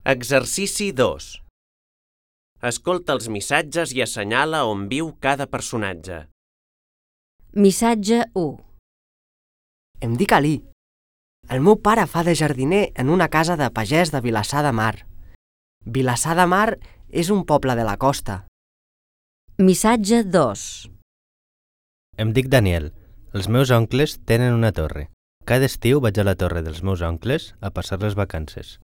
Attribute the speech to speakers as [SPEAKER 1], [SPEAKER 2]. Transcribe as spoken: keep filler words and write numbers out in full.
[SPEAKER 1] Exercici dos. Escolta els missatges i assenyala on viu cada personatge.
[SPEAKER 2] Missatge u.
[SPEAKER 3] Em dic Ali. El meu pare fa de jardiner en una casa de pagès de Vilassar de Mar. Vilassar de Mar és un poble de la costa.
[SPEAKER 2] Missatge dos.
[SPEAKER 4] Em dic Daniel. Els meus oncles tenen una torre. Cada estiu vaig a la torre dels meus oncles a passar les vacances.